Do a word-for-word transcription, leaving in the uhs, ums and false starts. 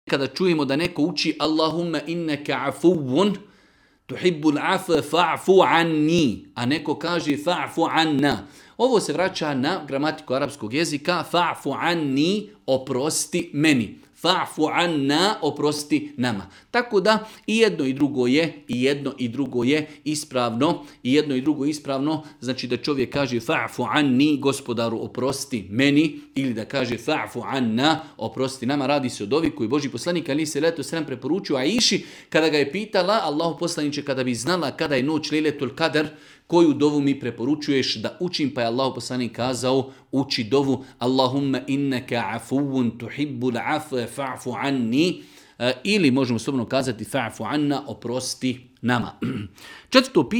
kada čujemo da neko uči Allahumma innaka afuwun tuhibbul afwa fa'fu anni, a neko kaže fa'fu anna. Ovo se vraća na gramatiku arapskog jezika, fa'fu anni, oprosti meni. Fa'fu anna, oprosti nama. Tako da i jedno i drugo je, i jedno i drugo je ispravno, i jedno i drugo ispravno, znači da čovjek kaže fa'fu anni, gospodaru oprosti meni, ili da kaže fa'fu anna, oprosti nama. Radi se o dovi koji Božji poslanik alejhi selatu vesselam preporučio Aiši kada ga je pitala, Allahu poslanice, kada bi znala kada je noć Lejletul Kadr, koju dovu mi preporučuješ da učim, pa je Allahu poslanik kazao, uči dovu Allahumma innaka afuwun tuhibbul afwa fa'fu anni, ili možemo slobodno kazati fa'fu anna, oprosti nama. Četvrto pitanje